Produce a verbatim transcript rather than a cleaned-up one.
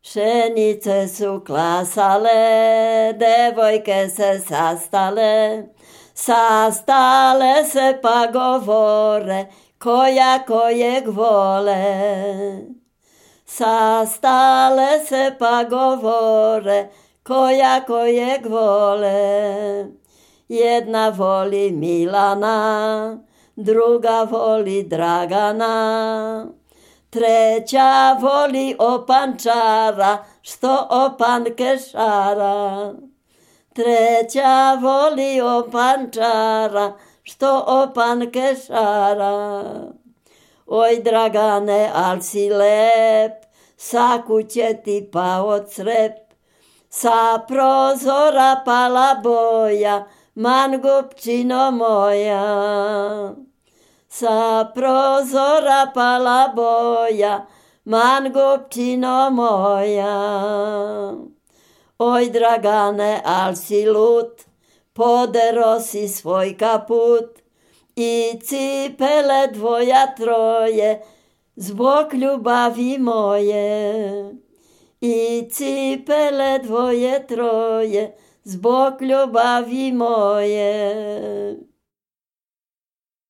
Pšenice su klasale, devojke se sastale, sastale se pa govore, koja kojeg vole. Sastale se pa govore, koja kojeg vole. Jedna voli Milana, druga voli Dragana, treća voli opančara, što opanke šara. Treća voli opančara, što opanke šara. Oj, Dragane, al si lep, sa kuće ti pao crep, sa prozora pala boja, mangupčino moja. Sa prozora pala boja, mangupčino moja. Oj, Dragane, al si lut, podero si svoj kaput i cipele dvoja troje, zbog ljubavi moje. I cipele dvoje troje, zbog ljubavi moje.